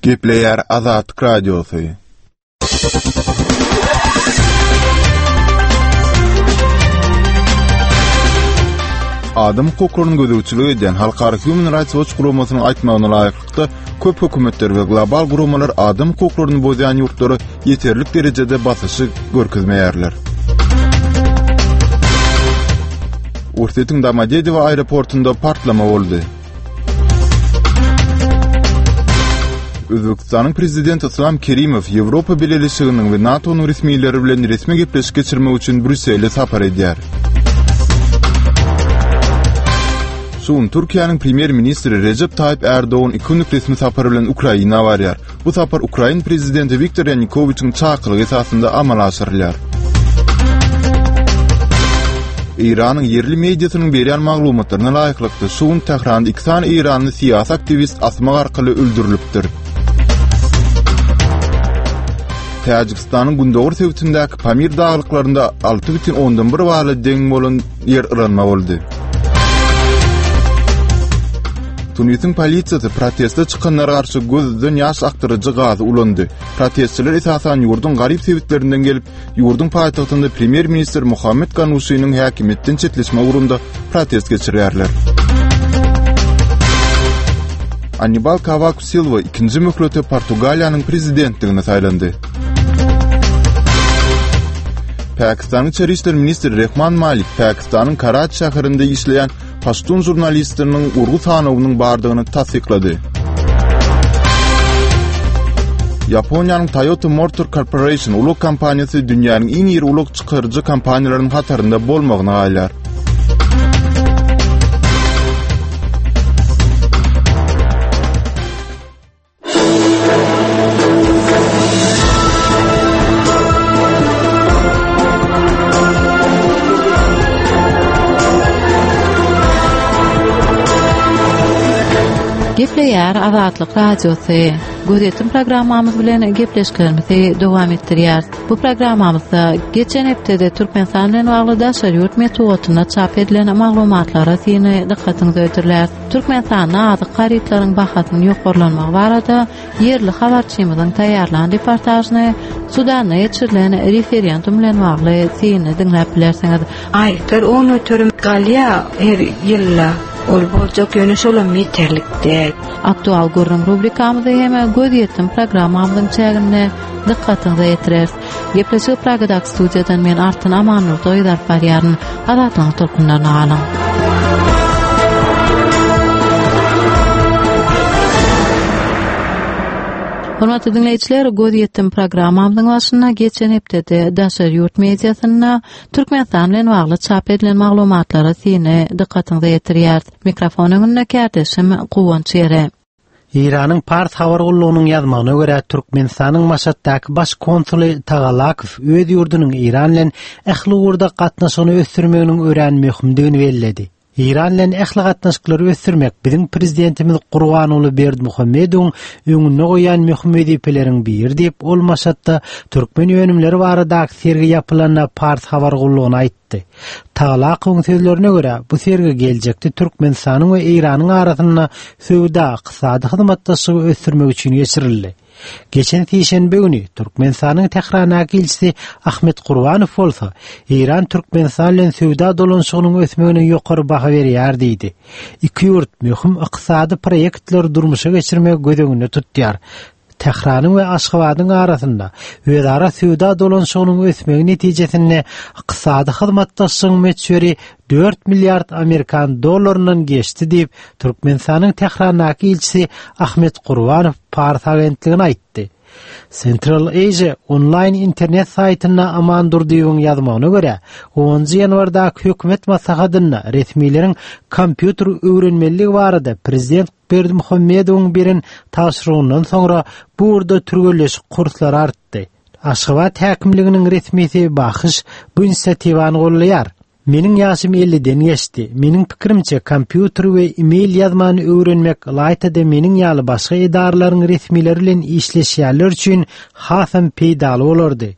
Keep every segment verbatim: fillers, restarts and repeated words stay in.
Gepleýär Azatlyk Radiosy. Adam hukuklaryny gözegçilik edýän Halkara Human Rights Watch guramasynyň aýtmagyna laýyklykda, köp hökümetler we global guramalar adam hukuklaryny bozýan ýurtlara ýeterlik derejede basyşy görkezmeýärler. Orsýetiň Domodedowo aeroportunda partlama boldy. Özbekistanyň prezidenti Yslam Kerimow Ýewropa Bileleşiginiň we NATO-nyň resmileri bilen resmi gepleşik geçirmek üçin Brýussele sapar edýär. Şu gün Türkiýäniň premýer-ministri Rejep Taýyp Ärdogan iki günlük resmi sapar bilen Ukraina barýar. Bu sapar ukrain prezidenti Wiktor Ýanukowiçiň çakylygy esasynda amala aşyrylýar. Eýranyň ýerli mediasynyň berýän maglumatlaryna laýyklykda, şu gün Tähranda iki sany eýranly syýasy aktiwist asmak arkaly öldürilipdir. Täjigistanyň gündogar sebitindäki Pamir daglyklarynda alty bütin ondan bir bala deň bolan ýer yranma boldy. Tunisiň polisiýasy proteste çykanlara garşy gözden ýaş akdyryjy gazy ulandy. Protestçiler esasan ýurduň garyp sebitlerinden gelip, ýurduň paýtagtynda premýer-ministr Muhammed Ganuşynyň häkimiýetden çetleşme ugrunda protest geçirýärler. Annibal Kawak Silwa ikinji möhlete Portugaliýanyň prezidentligine saýlandy. Pakistanyň içeri işler ministri Rehman Malik Pakistanyň Karaçi şäherinde işleýän paştun žurnalistiniň urgy sanawynyň bardygyny tassyklady. Ýaponiýanyň Toyota Motor Corporation ulag kompaniýasy dünýäniň iň iri ulag çykaryjy kompaniýalarynyň hatarynda bolmagyna galýar. Gepleýär Azatlyk Radiosy. Gözýetim programmamyz bilen gepleşiklerimizi dowam etdirýäris. Bu programmamyzda geçen hepdede Türkmenistan bilen bagly daşary ýurt metbugatynda çap edilen maglumatlara syny dykgatyňyza hödürläris. Türkmenistanda azyk harytlaryň bahasynyň ýokarlanmagy barada ýerli habarçymyzyň taýýarlan reportažyny Sudanda geçirilen referendum bilen bagly syny diňläp bilersiňiz. Aýlyklar on göterim galýar her ýylda. Ol boljak, ýöne şolam ýeterlik däl. Aktual gürrüň rubrikamyzy hem Gözýetim programmamyzyň çäginde dykgatyňyza ýetireris. Gepleşigi Pragadaky studiýadan men Artyn Amannurdy gyz alyp barýaryn. Azatlygyň tolkunlaryna galyň. Hormatly diňleýjiler, Gözýetim programmamyzyň başynda geçen hepdede daşary ýurt mediasynda Türkmenistan bilen bagly çap edilen maglumatlara syny dykgatyňyza ýetirýäris. Mikrofon öňünde kärdeşim Guwanç Ýere. Eýranyň Pars habar gullugynyň ýazmagyna görä, Türkmenistanyň Maşatdaky baş konsuly Tagalakow öz ýurdunyň Eýran bilen ähli ugurda gatnaşygyny ösdürmeginiň örän möhümdigini belledi. Eýran bilen ähli gatnaşyklary ösdürmek biziň prezidentimiz Gurbanguly Berdimuhamedowyň öňünde goýýan möhüm wezipeleriň biri diýip, ol Maşatda türkmen önümleri baradaky sergi ýapylanda Pars habar gullugyna aýtdy. Tagalakowyň sözlerine görä, bu sergi geljekde Türkmenistanyň we Eýranyň arasynda söwda-ykdysady hyzmatdaşlygy ösdürmek üçin geçirildi. Geçen sişenbe güni Türkmenistanyň Tährandaky ilçisi Ahmet Gurbanow bolsa, Eýran Türkmenistan bilen söwda dolanyşygynyň ösmegine ýokary baha berýär diýdi. Iki ýurt möhüm ykdysady proýektleri durmuşa geçirmegi göz öňünde tutýar. Tähranyň we Aşgabadyň arasynda özara söwda dolanyşygynyň ösmegi netijesinde ykdysady hyzmatdaşlygyň möçberi dört milliard amerikan dollaryndan geçdi diýip, Türkmenistanyň Tährandaky ilçisi Ahmet Gurbanow Pars agentligine aýtdy. Central Asia onlaýn internet saýtynda Aman Durdyýewiň ýazmagyna görä, onunjy ýanwardaky hökümet maslahatynda resmileriň kompýuter öwrenmeliligi barada prezident Berdimuhamedowyň beren tabşyrygyndan soňra bu ugurda türgenleşik kurslary artdy. Aşgabat häkimliginiň resmisi Bahyş bu inisiatiwany goldaýar. Meniň ýaşym elliden geçdi. Meniň pikirimçe, kompýuter we e-mail ýazmany öwrenmek ylaýta-da meniň ýaly başga edaralaryň resmileri bilen işleşýänler üçin hasam peýdaly bolardy.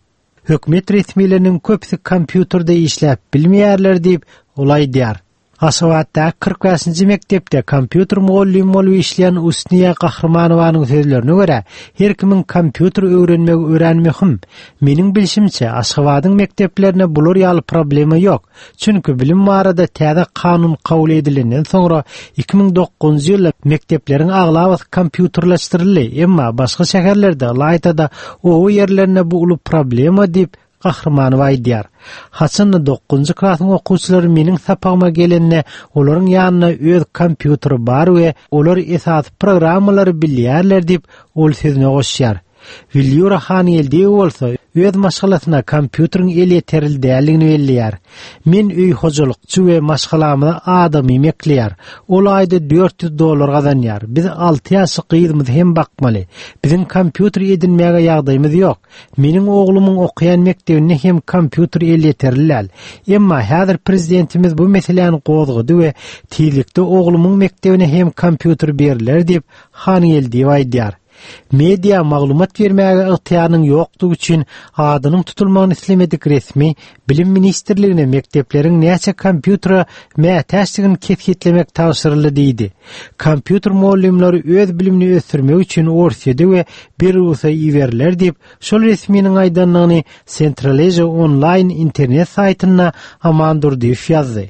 Hökümet resmileriniň köpüsi kompýuterde işläp bilmeýärler diýip, ol aýdýar. Aşgabatdaky kyrk bäşinji mekdepde kompýuter mugallymy bolup işleýän Usniýa Gahrymanowanyň sözlerine görä, her kimiň kompýuter öwrenmegi örän möhüm. Meniň bilşimçe, Aşgabadyň mekdeplerinde bular ýaly problema ýok. Çünki bilim barada täze kanun kabul edilenden soňra iki müň dokuzynjy ýylda mekdepleriň aglabasy kompýuterleşdirildi. Emma başga şäherlerde, ylaýta-da oba ýerlerinde bu uly problema diýip Gahrymanowa aýdýar. Haçanda dokuzynjy klasyň okuwçylary meniň sapagyma gelende, olaryň ýanynda öz kompýuteri bar we olar esasy programmalary bilýärler diýip, ol sözüne goşýar. Wilýura Hangeldiýewa bolsa öz maşgalasyna kompýuteriň elýeterli däldigini belleýär. Men öý hojalykçy we maşgalamyza adamy mekleýär. Ol aýda dört ýüz dollar gazanýar. Biz alty ýaşly gyzymyzy hem bakmaly. Biziň kompýuter edinmäge ýagdaýymyz ýok. Meniň oglumyň okaýan mekdebinde hem kompýuter elýeterli däl. Emma häzir prezidentimiz bu meseläni gozgady we tizlikde oglumyň mekdebine hem kompýuter beriler diýip Hangeldiýewa aýdýar. Media maglumat bermäge ygtyýarynyň ýokdugy üçin adynyň tutulmagyny islemedik resmi Bilim ministrligine mekdepleriň näçe kompýutere mätäçdigini kesgitlemek tabşyryldy diýdi. Kompýuter mugallymlary öz bilimini ösdürmek üçin Orsýede we Belarus'a iberiler diýip, şol resminiň aýdanlygyny Central Asia Online internet saýtynda Aman Durdyýew ýazdy.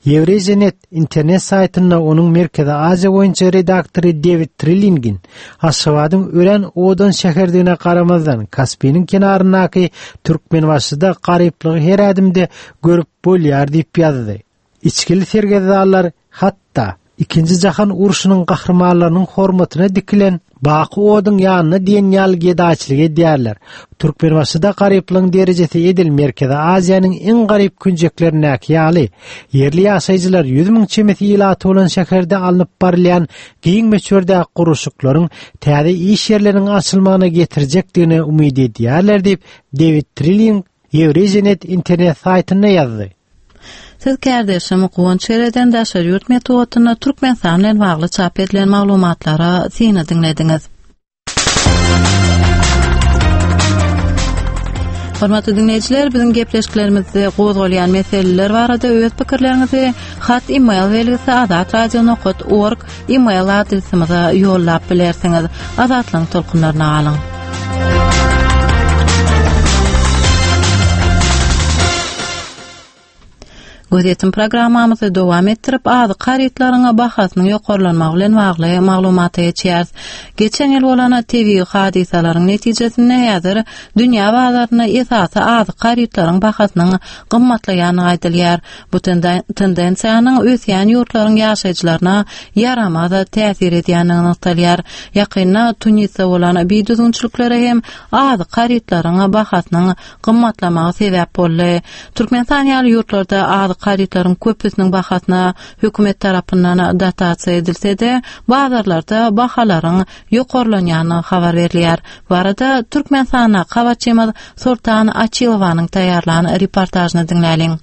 Eurasianet internet saýtynda onuň Merkezi Aziýa boýunça redaktory David Trillingin Aşgabadyň örän owadan şäherdigine garamazdan Kaspiniň kenaryndaky Türkmenbaşyda garyplygy her ädimde görüp bolýar diýip ýazdy. Içkili sergezdanlar hatda Ikinji jahan urşunyň gahrymanlarynyň hormatyna dikilen Baky oduň ýanyna diýen ýaly gedaçylyk edýärler. Türkmenbaşyda garyplygyň derejesi edil Merkezi Aziýanyň iň garyp künjeklerindäki ýaly. Ýerli ýaşaýjylar ýüz müň çemesi ilaty bolan şäherde alnyp barylýan giň möçberdäki gurluşyklaryň täze iş ýerleriniň açylmagyna getirjekdigine umyt edýärler diýip David Trilling Eurasianet internet saýtynda ýazdy. Siz kärdeşim Guwanç Gereden daşary ýurt metbugatynda Türkmenistan bilen bagly çap edilen maglumatlara syny diňlediňiz. Hormatly dinleýjiler, biziň gepleşiklerimizde gozgalýan meseleler barada öz pikirleriňizi hat e-mail belgisi azatradio nokta org e-mail adresimize ýollap bilersiňiz. Azatlygyň tolkunlaryna galyň. Gözetim programmamyzy dowam etdirip, azyk harytlaryň bahasynyň ýokarlanmagy bilen bagly maglumata geçýäris. Geçen ýyl bolan tebigy hadysalaryň netijesinde häzir dünýä bazarynda esasy azyk harytlaryň bahasynyň gymmatlaýandygy aýdylýar. Bu tendensiýanyň ösýän ýurtlaryň ýaşaýjylaryna ýaramaz täsir edýändigi nygtalýar. Ýakynda Tunisde bolan bidüzgünçiliklere hem azyk harytlaryň bahasynyň gymmatlamagy sebäp boldy. Türkmenistan ýaly ýurtlarda azyk harytlaryň köpüsiniň bahasyna hökümet tarapyndan dotasiýa edilse-de, bazarlarda bahalaryň ýokarlanýandygy habar berilýär. Bu arada Türkmenistanda habarçymyz Sultan Açilowanyň taýýarlan reportažyny diňläliň.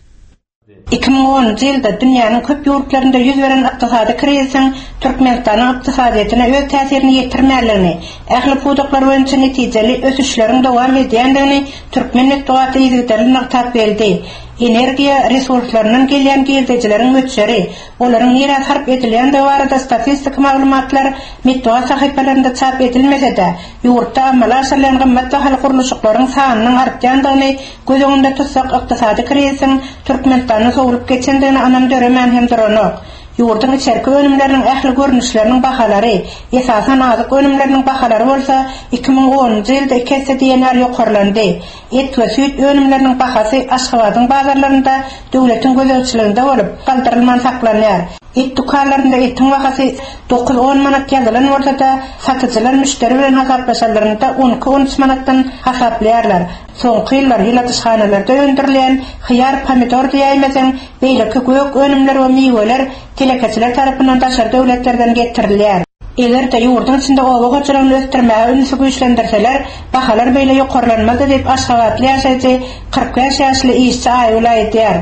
Iki müň onunjy ýylda dünýäniň köp ýurtlarynda ýüz beren ykdysady krizisiň Türkmenistanyň ykdysadyýetine öz täsirini ýetirmänligini, ähli pudaklar boýunça netijeli ösüşleriň dowam edýändigini türkmen metbugaty yzygiderli nygtap geldi. Energiýa resurslaryndan gelýän girdejileriň möçberi, olaryň nirä sarp edilýändigi barada statistik maglumatlar metbugat sahypalarynda çap edilmese-de, ýurtda amala aşyrylýan gymmat bahaly gurluşyklaryň sanynyň artýandygyny göz öňünde tutsak, ykdysady krizisiň Türkmenistanda sowlup geçendigini anam döremän hem duranok. Ýurduň içerki önümleriniň ähli görnüşleriniň bahalary, esasan azyk önümleriniň bahalary bolsa iki müň onunjy ýylda iki esse diýen ýaly ýokarlandy. Et we süýt önümleriniň bahasy Aşgabadyň bazarlarynda döwletiň gözegçiliginde bolup, galdyrylman saklanýar. Et dükanlarynda etiň bahasy dokuz on manat ýazylan bolsa-da, satyjylar müşderi bilen hasaplaşanlarynda on iki on üç manatdan hasaplaýarlar. Soňky ýyllar ýyladyşhanalarda öndürilýän hyýar, pomidor diýäýmeseň, beýleki gök önümler we miweler telekeçiler tarapyndan daşary döwletlerden getirilýär. Eger-de ýurduň içinde oba hojalygyny ösdürmäge ünsi güýçlendirseler, bahalar beýle ýokarlanmazdy diýip Aşgabatly ýaşaýjy kyrk bäş ýaşly işçi Aýgül aýdýar.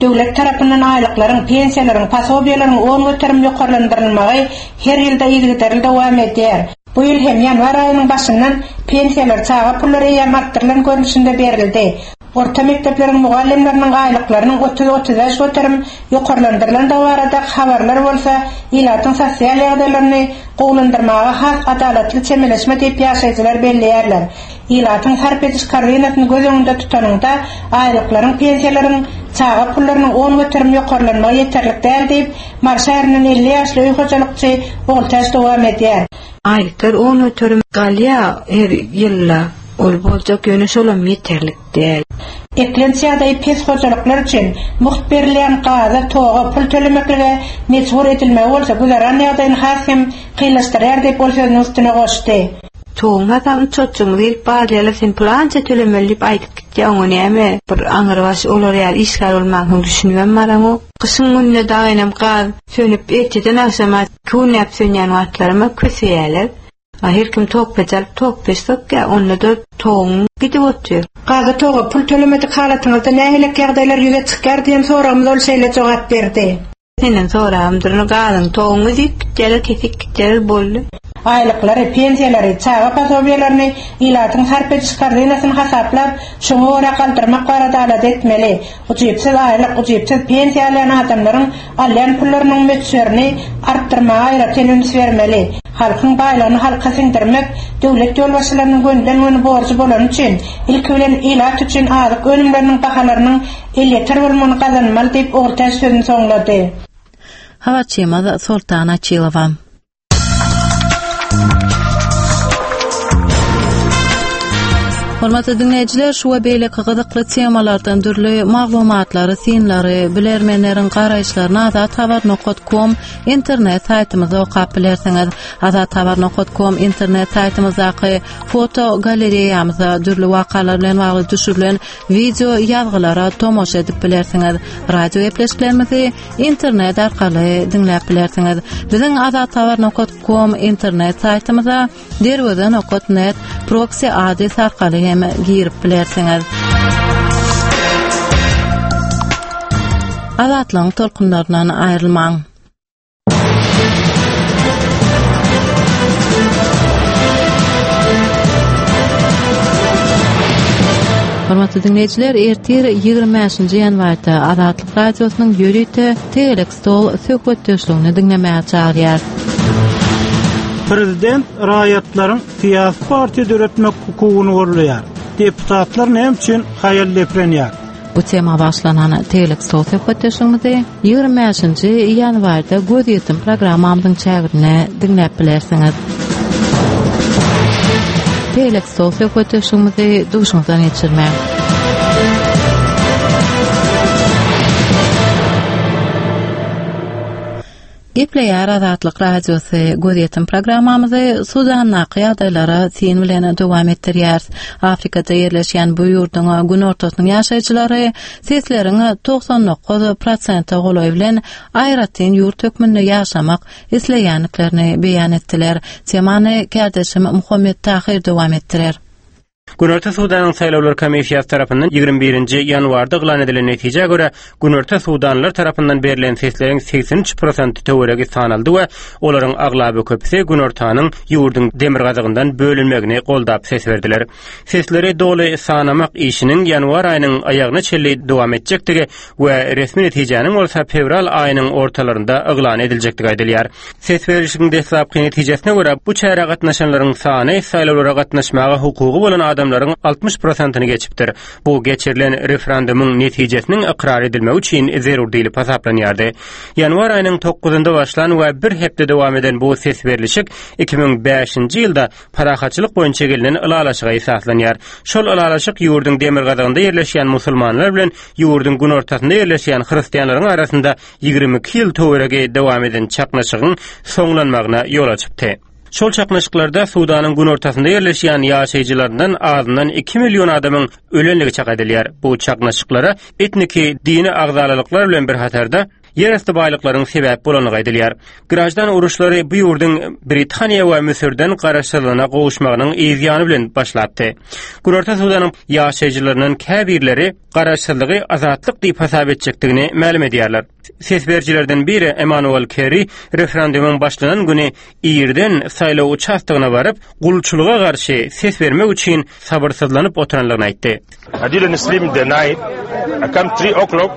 Döwlet tarapyndan aýlyklaryň, pensiýalaryň, posobiýalaryň on göterim ýokarlandyrylmagy her ýylda yzygiderli dowam edýär. Bu ýyl hem ýanwar aýynyň başyndan pensiýalar, çaga pullary eýýäm artdyrylan görnüşinde berildi. Orta mektepleriň mugallymlarynyň aýlyklarynyň otuz otuz bäş göterim ýokarlandyrylandygy barada habarlar bolsa ilatyň sosial ýagdaýlaryny gowulandyrmaga has adalatly çemeleşme diýip ýaşaýjylar belleýärler. Ilatyň sarp ediş korzynasyny göz öňünde tutanyňda aýlyklaryň, pensiýalaryň, çaga pullarynyň on göterim ýokarlanmagy ýeterlik däl diýip, Mary şäherinden elli ýaşly öý hojalykçy Ogultäç dowam edýär. Aýlyklar on göterim galýar her ýylda. Ol boljak ýöne şolam ýeterlik däl. Eklenç ýagdaýy pes hojalyklar üçin mugt berilýän gaza, toga, pul tölemeklige mejbur edilmegi bolsa güzeran ýagdaýyny has hem kynlaşdyrýar diýip ol sözüniň üstüne goşdy. Toğun hatam çoçuňyz gelip barýarlar, sen pul ança tölemeli diýip aýdyp gitýär, oňa näme bir aňyrbaş olar ýaly işgär bolmagyň düşünmem baraňok. Gyşyň gününe dagynyp gaz sönüp erteden agşama küwnäp sönýän wagtlaryma köseýärler. Her kim tok peç alyp tok peç sokýar, onda da toğun gidip otyr. Gaza toga pul tölemedik halatyňyzda nähili ýagdaýlar ýüze çykýar diýen soragymyza ol şeýle jogap berdi. Senden soragymdyr, gazyň toğuňy dik gitýär, kesik gitýär boldy. Aýlyklary, pensiýalary, çaga posobiýalaryny ilatyň sarp ediş korzynasyny hasaplap, şoňa görä galdyrmak barada alada etmeli. Ujypsyz aýlyk, ujypsyz pensiýa alýan adamlaryň alýan pullarynyň möçberini artdyrmaga aýratyn üns bermeli. Halkyň baýlygyny halka siňdirmek döwlet ýolbaşçylarynyň gönden-göni borjy bolany üçin ilki bilen ilat üçin azyk önümleriniň bahalarynyň elýeter bolmagyny gazanmaly diýip Ogultäç sözüni soňlady. Habarçymyz Sultan Açylowa. Hormatly dinleýjiler, şu we beýleki gyzykly temalardan dürli maglumatlary, synlary, bilermenleriň garaýyşlaryny azathabar nokta com internet saýtymyzda okap bilersiňiz. Azathabar nokta com internet saýtymyzdaky foto galereýamyzda dürli wakalar bilen bagly düşürilen video ýazgylara tomaşa edip bilersiňiz. Radio gepleşiklerimizi internet arkaly diňläp bilersiňiz. Biziň azathabar nokta com internet saýtymyza derweze nokta net proxy adres arkaly hem girip bilersiňiz. Azatlygyň tolkunlaryndan aýrylmaň. Hormatly dinleýjiler, ertir ýigrimi bäşinji ýanwarda Azatlyk Radiosynyň ýörite tegelek stol söhbetdeşligini diňlemäge çagyrýar. Prezident raýatlaryň syýasy partiýa döretmek hukugyny goldaýar. Deputatlar näme üçin haýal deprenýär? Bu tema başlanan tegelek stol söhbetdeşligimizi ýigrimi bäşinji ýanwarda göz ýetim programmamyzyň çäginde diňläp bilersiňiz. Tegelek stol söhbetdeşligimizi duşuňyzdan geçirmäň. Gepleýär Azatlyk Radiosy gözýetim programmamyzy Sudandaky ýagdaýlara syn bilen dowam etdirýär. Afrikada ýerleşýän bu ýurduň günortasynyň ýaşaýjylary sesleriň togsan dokuz prosente golaý bilen aýratyn ýurt hökmünde ýaşamak isleýändiklerini beýan etdiler. Temany kärdeşim Muhammet Tahir dowam etdirer. Günorta Sudanyň saýlawlar komissiýasy tarapyndan ýigrimi birinji ýanwarda yglan edilen netijä görä Günorta Sudanlylar tarapyndan berlen sesleriň segsen üç prosenti töweregi sanaldy we olaryň aglaba köpüsi Günortanyň ýurduň demirgazygyndan bölünmegini goldap ses berdiler. Sesleri doly sanamak işiniň ýanwar aýynyň aýagyna çenli dowam etjekdigi we resmi netijäniň bolsa fewral aýynyň ortalarynda yglan ediljekdigi aýdylýar. Ses berişiň deslapky netijesine görä bu çärä gatnaşanlaryň sany saýlawlara gatnaşmaga hukugy bolan adamlaryň altmyş prosentini geçipdir. Bu geçirilen referendumyň netijesiniň ykrar edilmegi üçin zerur diýlip hasaplanýardy. Ýanwar aýynyň dokuzynda başlan we bir hepde dowam eden bu ses berlişik iki müň bäşinji ýylda parahatçylyk boýunça gelinen ylalaşyga esaslanýar. Şol ylalaşyk ýurduň demirgazygynda ýerleşýän musulmanlar bilen ýurduň günortasynda ýerleşýän hristianlaryň arasynda ýigrimi iki ýyl töweregi dowam eden çaknyşygyň soňlanmagyna ýol açypdy. Şol çaknyşyklarda Sudanyň günortasynda ýerleşýän ýaşaýjylaryndan azyndan iki million adamyň ölenligi çak edilýär. Bu çaknyşyklara etniki dini agzalalyklar bilen bir hatarda ýerasty baýlyklaryň sebäp bolandygy aýdylýar. Graždan uruşlary bu ýurduň Britaniýa we Müsürden garaşsyzlygyna gowuşmagynyň yzýany bilen başlapdy. Günorta Sudanyň ýaşaýjylarynyň käbirleri garaşsyzlygy azatlyk diýip hasap etjekdigini mälim edýärler. Ses berijilerden biri Emmanuel Kerry referendumyň başlanan güni irden saýlaw uçastogyna baryp, gulçulyga garşy ses bermek üçin sabyrsyzlanyp oturanlygyny aýtdy. I didn't sleep the night. I come three o'clock.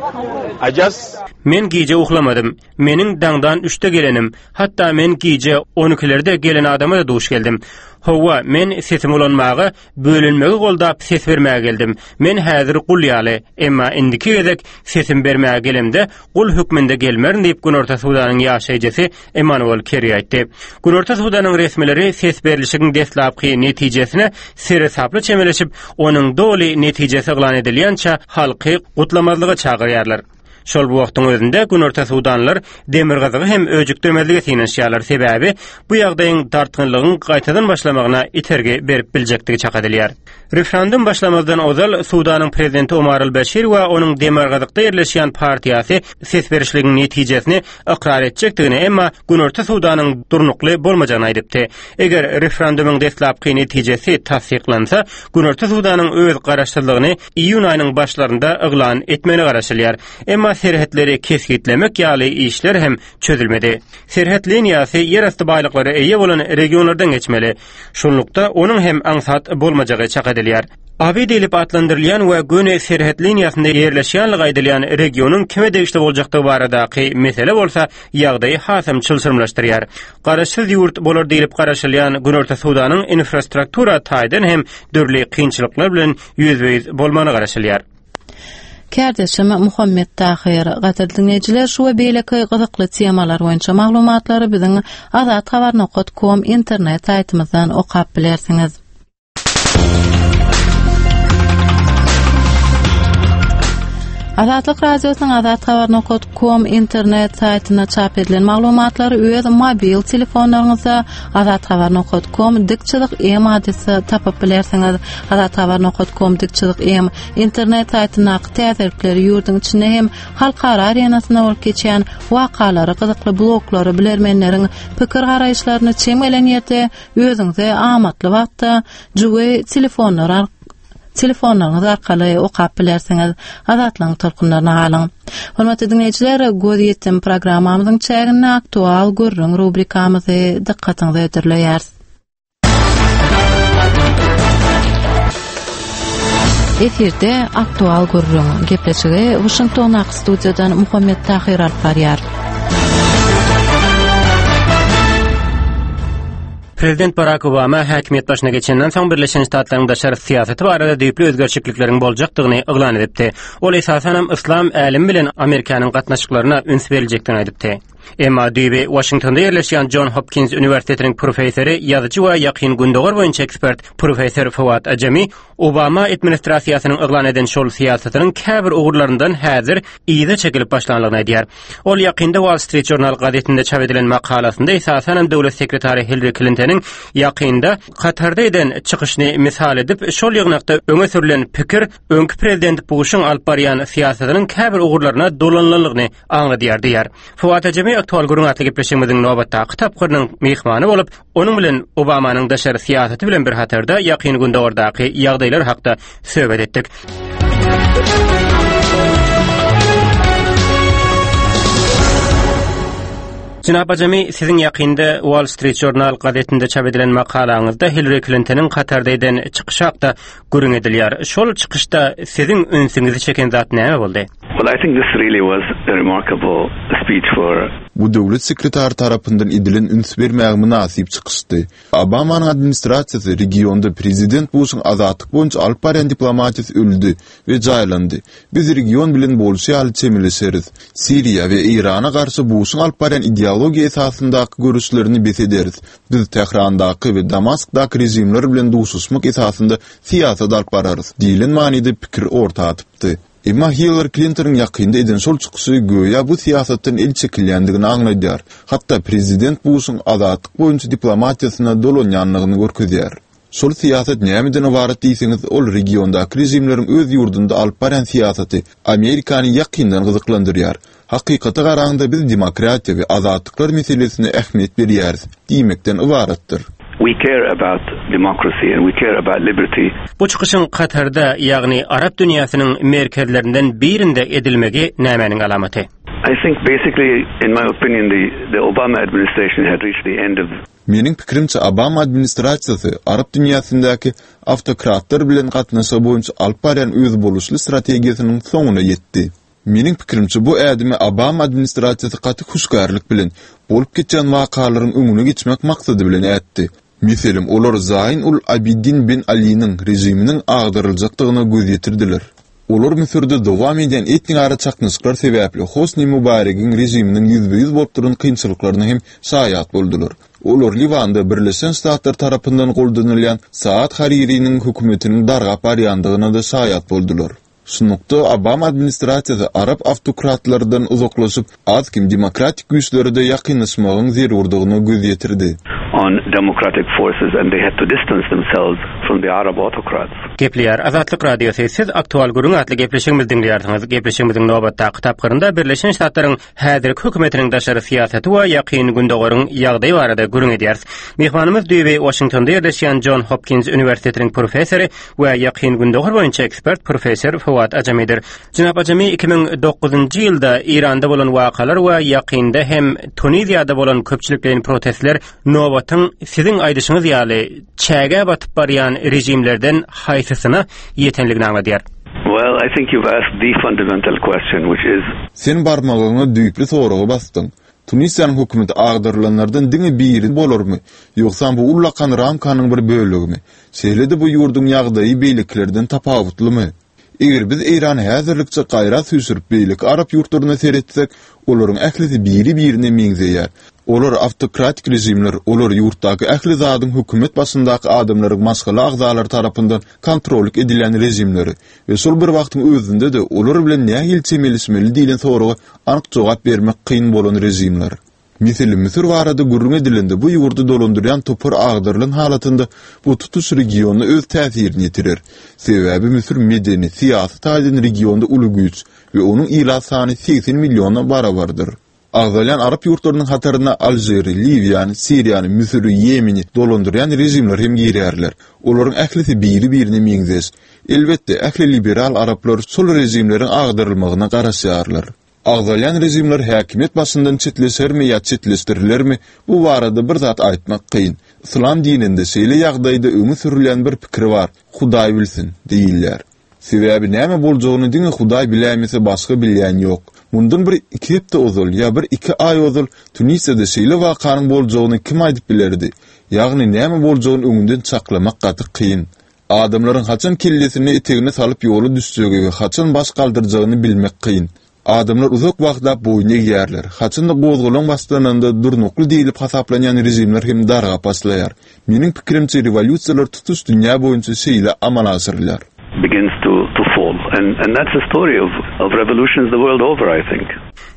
I just Men gije uhlamadym. Meniň daňdan üçde gelenim. Hatda men gije on ikilerde gelen adama da duş geldim. Hawa, men sesimi ulanmaga, bölünmegi goldap ses bermäge geldim. Men häzir gul ýaly, emma indiki gezek sesim bermäge gelemde gul hökmünde gelmerin diýip Günorta Sudanyň ýaşaýjysy Emmanuel Kerry aýtdy. Günorta Sudanyň resmileri ses berlişigiň deslapky netijesine seresaply çemeleşip, onuň doly netijesi yglan edilýänçä halky gutlamazlyga çagyrýarlar. Şol bu wagtyň özünde Günorta Sudanlar demirgazygy hem öjükdirmezlige synanyşýarlar. Sebäbi bu ýagdaýyň dartgynlygyň gaýtadan başlamagyna itergi berip biljekdigi çak edilýär. Referendum başlamazdan ozal Sudanyň prezidenti Omar al-Beşir we onuň demirgazykda ýerleşýän partiýasy ses berişligiň netijesini ykrar etjekdigini, emma Günorta Sudanyň durnukly bolmajagyny aýdypdy. Eger referendumyň deslapky netijesi tassyklansa, Günorta Sudanyň öz garaşsyzlygyny iýun aýynyň başlarynda yglan etmegine garaşylýar. Emma serhetleri kesgitlemek ýaly işler hem çözülmedi. Serhet liniýasy ýerasty baýlyklara eýe bolan regionlardan geçmeli. Şunlukda onuň hem aňsat bolmajagy çak edilýär. Abi diýlip atlandyrylýan we göni serhet liniýasynda ýerleşýänligi aýdylýan regionyň kime degişli boljakdygy baradaky mesele bolsa ýagdaýy hasam çylşyrymlaşdyrýar. Garaşsyz ýurt bolar diýlip garaşylýan Günorta Sudanyň infrastruktura taýdan hem dürli kynçylyklar bilen ýüzbe-ýüz bolmagyna garaşylýar. Kärdeşim Muhammet Tahir, gadyrly dinleýjiler, şu we beýleki gyzykly temalar boýunça maglumatlary biziň azathabar nokta com internet saýtymyzdan okap bilersiňiz. Azatlyk Radiosynyň azathabar nokta com internet saýtynda çap edilen maglumatlary öz mobil telefonlaryňyzda azathabar nokta com dik çyzyk m adresi tapyp bilersiňiz. Azathabar nokta com dik çyzyk m internet saýtyndaky täzelikleri ýurduň içinde hem halkara arenasynda bolup geçýän wakalary, gyzykly bloglary, bilermenleriň pikir garaýyşlaryny çem gelen ýerde özüňize amatly wagtda jüwi telefonlar ar-, telefonlaryňyz arkaly okap bilersiňiz. Azatlygyň tolkunlaryna galyň. Hormatly dinleýjiler, göz ýetim programmamyzyň çäginde aktual gürrüň rubrikamyzy dykgatyňyza hödürleýäris. Efirde aktual gürrüň gepleşigi Washingtondaky studiýadan Muhammet Tahir alyp barýar. Prezident Barack Obama häkimiýet başyna geçenden soň Birleşen Ştatlaryň daşary syýasaty barada düýpli özgerişiklikleriň boljakdygyny yglan edipdi. Ol esasan hem yslam älemi bilen Amerikanyň gatnaşyklaryna üns beriljekdigini aýdypdy. Emma düýbi Washingtonda ýerleşýän John Hopkins Uniwersitetiniň professory, ýazyjy we ýakyn gündogar boýunça ekspert professor Fawad Ajami Obama administrasiýasynyň yglan eden şol syýasatynyň käbir ugurlaryndan häzir yza çekilip başlanlygyny aýdýar. Ol ýakynda Wall Street Journal gazetinde çap edilen makalasynda esasan hem döwlet sekretary Hillary Clintonyň ýakynda Katarda eden çykyşyny misal edip, şol ýygnakda öňe sürülen pikir öňki prezident Bushuň alyp barýan syýasatynyň käbir ugurlaryna dolanlygyny aňladýar diýär. Fawad Ajami aktual gürrüň atly gepleşigimiziň nobatdaky tapgyrynyň myhmany bolup, onuň bilen Obamanyň daşary syýasaty bilen bir hatarda ýakyn gündogardaky ýagdaýlar hakda söhbet etdik. Jenap Ajami, siziň ýakynda Wall Street Journal gazetinde çap edilen makalaňyzda Hillary Clintonyň Katarda eden çykyşy hakda gürrüň edilýär. Şol çykyşda siziň ünsüňizi çeken zat näme boldy? Well, I think this really was a remarkable speech for Bu döwlet sekretary tarapyndan edilen üns bermäge mynasyp çykyşdy. Obamanyň administrasiýasy regionda prezident Bushuň azatlyk boýunça alyp barýan diplomatiýasy öldi we jaýlandy. Biz region bilen bolşy ýaly çemeleşeris. Siriýa we Eýrana garşy Bushuň alyp barýan ideologiýa esasyndaky görüşlerini bes ederis. Biz Tährandaky we Damaskdaky rejimler bilen duşuşmak esasynda syýasat alyp bararys diýilen manyda pikir orta atypdy. Emma Hillary Clintonyň ýakynda eden şol çykyşy göýä bu syýasatdan el çekilýändigini aňladýar. Hatda prezident Bushuň azatlyk boýunça diplomatiýasyna dolanýanlygyny görkezýär. Şol syýasat nämeden ybarat diýseňiz, ol regiondaky režimleriň öz ýurdunda alyp barýan syýasaty Amerikany ýakyndan gyzyklandyrýar. Hakykata garaňda biz demokratiýa we azatlyklar meselesine ähmiýet berýäris diýmekden ybaratdyr. We care about democracy and we care about liberty. Bu çykyşyň Katarda, ýagny Arap dünýäsiniň merkezlerinden birinde edilmegi nämäniň alamaty? I think basically, in my opinion, the, the Obama administration had reached the end of Meniň pikirimçe Obama administrasiýasy Arap dünýäsindäki awtokratlar bilen gatnaşygy boýunça alyp barýan özboluşly strategiýasynyň soňuna ýetdi. Meniň pikirimçe bu ädimi Obama administrasiýasy gaty hüşgärlik bilen bolup geçýän wakalaryň öňüne geçmek maksady bilen ätdi. Meselem, olar Zayn ul Abidin ben Aliniň režiminiň agdaryljakdygyna göz ýetirdiler. Olar Müsürde dowam edýän etnik ara çaknyşyklar sebäpli Hosni Mubaregiň režiminiň ýüzbe-ýüz bolup duran kynçylyklaryna hem şaýat boldular. Olar Liwanda Birleşen Ştatlar tarapyndan goldanylýan Saad Haririniň hökümetiniň dargap barýandygyna da şaýat boldular. Şunlukda Obama administrasiýasy Arap awtokratlardan uzaklaşyp, az-kem demokratik güýçlere de ýakynlaşmagyň zerurdygyna göz ýetirdi. on democratic forces and they had to distance themselves from the Arab autocrats. Gepleýär Azatlyk Radiosy. Siz Aktual Gürrüň atly gepleşigimizi diňleýärsiňiz. Gepleşigimiziň nobatdaky tapgyrynda Birleşen Ştatlaryň häzirki hökümetiniň daşary syýasaty we ýakyn gündogaryň ýagdaýy barada gürrüň edýäris. Myhmanymyz düýbi Washingtonda ýerleşýän John Hopkins Uniwersitetiniň professory we ýakyn gündogar boýunça ekspert professor Fuat Ajamidir. Jenap Ajami iki müň dokuzynjy ýylda Iranda bolan wakalar we ýakynda hem Tuniziýada bolan köpçülikleýin protestler nobatyň siziň aýdyşyňyz ýaly çäge batyp barýan rejimlerden haýsysyna ýetenligini aňladýar. Well, I think you've asked the fundamental question, which is Sen barmagyňa düýpli soragy basdyň. Tunisiýanyň hökümeti agdarylanlardan diňe biri bolarmy, ýogsa bu ullakan ramkanyň bir bölegimi? Şeýle-de bu ýurduň ýagdaýy beýlekilerden tapawutlymy? Eger biz Eýrany häzirlikçe gaýra süýşürip beýleki Arap ýurtlaryna seretsek, olaryň ählisi biri-birine meňzeýär. Olar awtokratik rejimler, olar ýurtdaky ähli zadyň hökümet başyndaky adamlaryň maşgala agzalary tarapyndan kontrollyk edilýän rejimleri we şol bir wagtyň özünde-de olar bilen nähili çemeleşmeli diýlen soraga anyk jogap bermek kyn bolan rejimler. Meselem, Müsür barada gürrüň edilende bu ýurdy dolandyrýan topar agdarylan halatynda bu tutuş regiona öz täsirini ýetirer. Sebäbi Müsür medeni, syýasy taýdan regionda uly güýç we onuň ilat sany segsen milliona barabardyr. Agzalýan Arap ýurtlarynyň hataryna Alžiri, Liwiýany, Siriýany, Müsüri, Ýemeni dolandyrýan rejimler hem girýärler. Olaryň ählisi biri-birine meňzeş. Elbetde, ähli liberal araplar şol rejimleriň agdarylmagyna garaşýarlar. Agzalýan rejimler häkimiýet başyndan çetleşermi ýa çetleşdirilermi, bu barada bir zat aýtmak kyn. Islam dininde şeýle ýagdaýda öňe sürülýän bir pikir bar, Hudaý bilsin diýilýär. Sebäbi näme boljagyny diňe Hudaý biläýmese başga bilýän ýok. Mundan bir iki hepde ozal ýa bir iki aý ozal Tunisiýada şeýle wakanyň boljagyny kim aýdyp bilerdi? Ýagny näme boljagyny öňünden çaklamak gaty kyn. Adamlaryň haçan kellesini etegine salyp ýola düşjegi we haçan baş galdyrjagyny bilmek kyn. Adamlar uzak wagtlap boýun egýärler. Haçanda gozgalaň başlananda durnukly diýilip hasaplanýan rejimler hem dargap başlaýar. Meniň pikirimçe rewolýusiýalar tutuş dünýä boýunça şeýle amala aşyrylýar. Begins to, to fall. And, and that's the story of, of revolutions the world over, I think.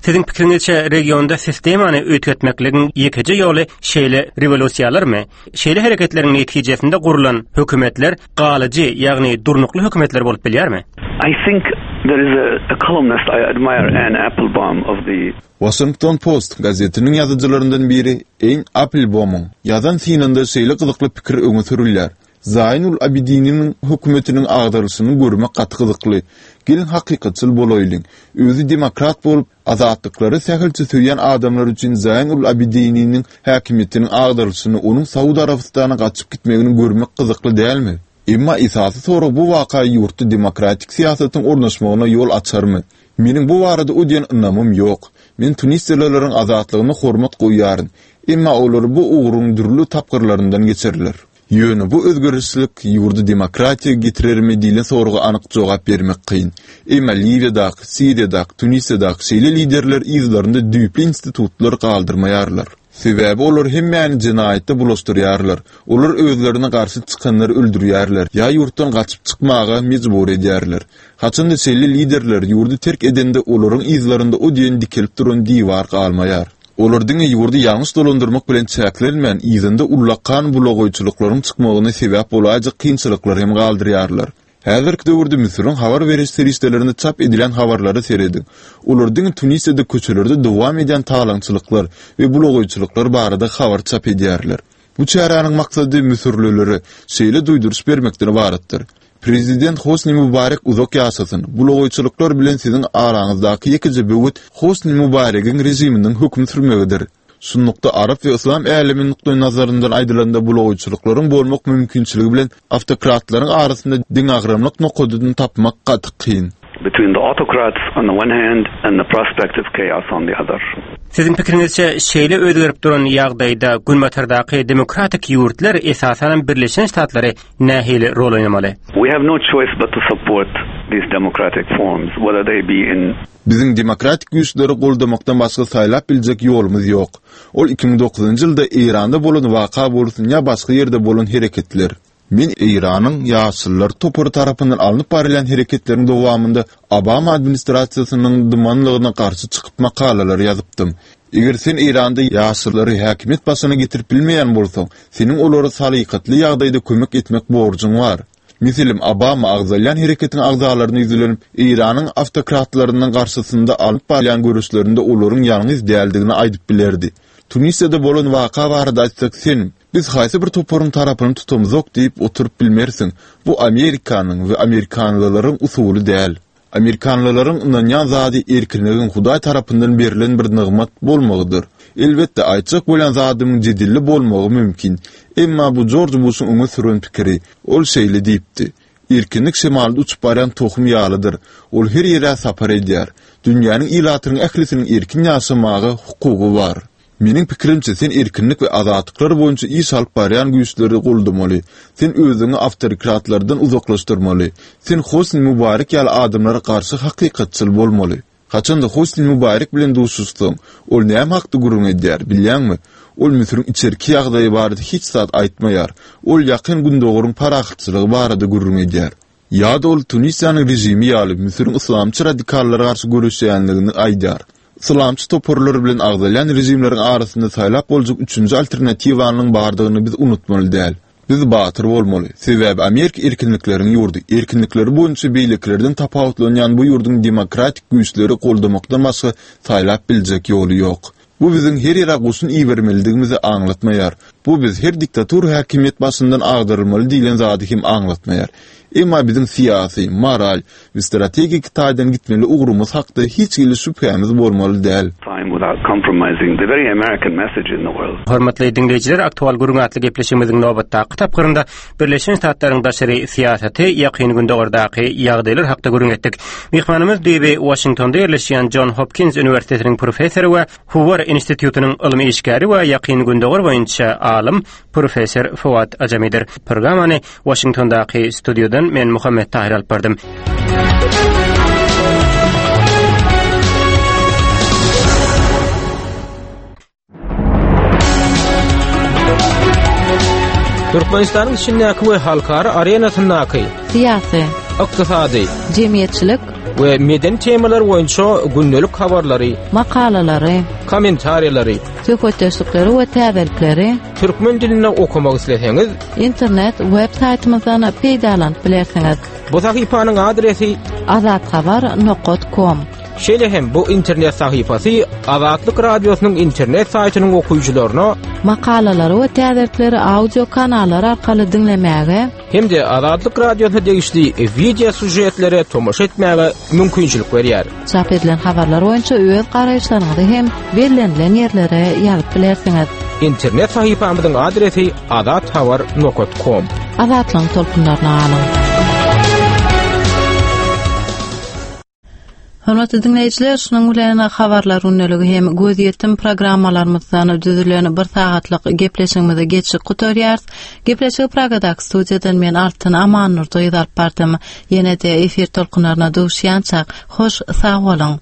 Siziň pikiriňizçe regionda sistemany üýtgetmekligiň ýekeje ýoly şeýle rewolýusiýalarmy? Şeýle hereketleriň netijesinde gurulan hökümetler galyjy, ýagny durnukly hökümetler bolup bilýärmi? I think there is a, a columnist I admire, Anne Applebaum of the Washington Post gazetiniň ýazyjylaryndan biri Anne Applebaumyň ýazan synynda şeýle gyzykly pikir öňe sürülýär. Zaynul Abidininiň hökümetiniň agdarylyşyny görmek gaty gyzykly. Gelin hakykatçyl bolaýlyň. Özi demokrat bolup, azatlyklary sähelçe söýýän adamlar üçin Zaynul Abidininiň häkimiýetiniň agdarylyşyny onuň Saud Arabystana gaçyp gitmegini görmek gyzykly dälmi? Emma esasy sorag bu waka ýurtda demokratik syýasatyň ornaşmagyna ýol açarmy? Meniň bu barada o diýen ynamym ýok. Men Tunisiýalylaryň azatlygyna hormat goýýaryn. Emma olar bu ugruň dürli tapgyrlaryndan geçerler. Ýöne bu özgerişlik ýurdy demokratiýa getirermi diýlen soraga anyk jogap bermek kyn. Emma Liwiýadaky, Siriýadaky, Tunisiýadaky şeýle liderler yzlarynda düýpli institutlar galdyrmaýarlar. Sebäbi olar hemmäni jenaýatda bulaşdyrýarlar. Olar özlerine garşy çykanlary öldürýärler ýa ýurtdan gaçyp çykmaga mejbur edýärler. Haçanda şeýle liderler ýurdy terk edende olaryň yzlarynda o diýen dikelip duran diwar galmaýar. Olar diňe ýurdy ýalňyş dolandyrmak bilen çäklenmän, yzynda ullakan bulagaýçylyklaryň çykmagyna sebäp bolaýjak kynçylyklar hem galdyrýarlar. Häzirki döwürde Müsüriň habar beriş serişdelerinde çap edilen habarlara serediň. Olar diňe Tunisde köçelerde dowam edýän talaňçylyklar we bulagaýçylyklar barada habar çap edýärler. Bu çäräniň maksady müsürlilere şeýle duýduryş bermekden ybaratdyr. Prezident Hosni Mubarek uzak ýaşasyn. Bulagaýçylyklar bilen siziň araňyzdaky ýekeje böwet Hosni Mubaregiň režiminiň höküm sürmegidir. Şunlukda Arap we Yslam älemi nukdaý nazaryndan aýdylanda bulagaýçylyklaryň bolmak mümkinçiligi bilen awtokratlaryň arasynda deňagramlyk nokadyny tapmak gaty kyn. Between the autocrats on the one hand and the prospect of chaos on the other. Siziň pikiriňizçe şeýle özgerip duran ýagdaýda Günbatardaky demokratik ýurtlar esasanam Birleşen Ştatlary nähili rol oýnamaly? We have no choice but to support these democratic forms, whether they be in Biziň demokratik güýçleri goldamakdan başga saýlap biljek ýolumyz ýok. Ol iki müň dokuzynjy ýylda Eýranda bolan waka bolsun ýa başga ýerde bolan hereketler. Men Eýranyň ýaşyllar topary tarapyndan alnyp barylýan hereketleriň dowamynda Obama administrasiýasynyň dymanlygyna garşy çykyp makalalar ýazypdym. Eger sen Eýranda ýaşyllary häkimiýet başyna getirip bilmeýän bolsaň, seniň olara salykatly ýagdaýda kömek etmek borjuň bar. Meselem, Obama agzalýan hereketiň agzalaryna ýüzlenip, Eýranyň awtokratlarynyň garşysynda alyp barýan göreşlerinde olaryň ýalňyz däldigini aýdyp bilerdi. Tunisde bolan waka barada aýtsak, sen biz haýsy bir toparyň tarapyny tutamzok diýip oturyp bilmersiň. Bu Amerikanyň we amerikanlylaryň usuly däl. Amerikanlylaryň ynanýan zady erkinligiň Hudaý tarapyndan berlen bir nygmat bolmagydyr. Elbetde, aýtjak bolan zadymyň jedelli bolmagy mümkin. Emma bu George Bush'un öňe süren pikiri. Ol şeýle diýipdi: Erkinlik şemalda uçup barýan tohum ýalydyr. Ol her ýere sapar edýär. Dünýäniň ilatynyň ählisiniň erkin ýaşamaga hukugy bar. Meniň pikirimçe sen erkinlik we azatlyklar boýunça iş alyp barýan güýçleri goldamaly. Sen özüňi awtokratlardan uzaklaşdyrmaly. Sen Hosni Mubarek ýaly adamlara garşy hakykatçyl bolmaly. Haçanda Hosni Mubarek bilen duşuşsaň, ol näme hakda gürrüň edýär, bilýäňmi? Ol Müsüriň içerki ýagdaýy barada hiç zat aýtmaýar. Ol ýakyn Gündogaryň parahatçylygy barada gürrüň edýär. Ýa-da ol Tunisiýanyň režimi ýaly Müsüriň yslamçy radikallara garşy göreşýänligini aýdar. Yslamçy toparlar bilen agzalýan režimleriň arasynda saýlap boljak üçünji alternatiwanyň bardygyny biz unutmaly däl. Biz batyr bolmaly. Sebäbi Amerika erkinlikleriň ýurdy. Erkinlikleri boýunça beýlekilerden tapawutlanýan bu ýurduň demokratik güýçleri goldamakdan başga saýlap biljek ýoly ýok. Bu biziň her ýere goşun ibermelidigimizi aňlatmaýar. Bu biz her diktatur häkimiýet başyndan agdarylmaly diýlen zady hem aňlatmaýar. Emma biziň syýasy, moral we strategik taýdan gitmeli ugrumyz hakda hiç hili şübhämiz bolmaly däl. Time without compromising the very American message in the world. Hormatly dinleýjiler, aktual gürrüň atly gepleşigimiziň nobatdaky tapgyrynda Birleşen Ştatlaryň daşary syýasaty ýakyn Gündogardaky ýagdaýlar hakda gürrüň etdik. Myhmanymyz düýbi Washingtonda ýerleşýän John Hopkins Uniwersitetiniň professory we Hoover Institutynyň ylmy işgäri we ýakyn Gündogar boýunça alym professor Fuad Ajamidir. Programmany Washingtondaky studiýadan men Muhammet Tahir alyp bardym. Türkmenistanyň içindäki we halkara arenasyndaky syýasy, ykdysady, jemgyýetçilik we medeni temalar boýunça gündelik habarlary, makalalary, kommentariýalary, söhbetdeşlikleri we täzelikleri türkmen dilinde okamak isleseňiz, internet web saýtymyzdan peýdalanyp bilersiňiz. Bu sahypanyň adresi azathabar nokta com. Şeýle hem bu internet sahypasy Azatlyk Radiosynyň internet saýtynyň okyjylaryna makalalary we täzelikleri audio kanallar arkaly diňlemäge hem-de Azatlyk Radiosyna degişli video süžetlere tomaşa etmäge mümkinçilik berýär. Çap edilen habarlar boýunça öz garaýyşlaryňyzy hem bellenilen ýerlere ýazyp bilersiňiz. Internet sahypamyzyň adresi azathabar nokta com. Azatlygyň tolkunlaryna galyň. Hormatly dinleýjiler, şunuň bilen habarlar gündeligi hem gözýetim programmalarymyzdan düzülen bir sagatlyk gepleşigimizi geçip gutarýarys. Gepleşigi Pragadaky studiýadan men Altyn Amannurdy alyp bardym. Ýene-de efir tolkunlaryna duşýançak, hoş sag boluň.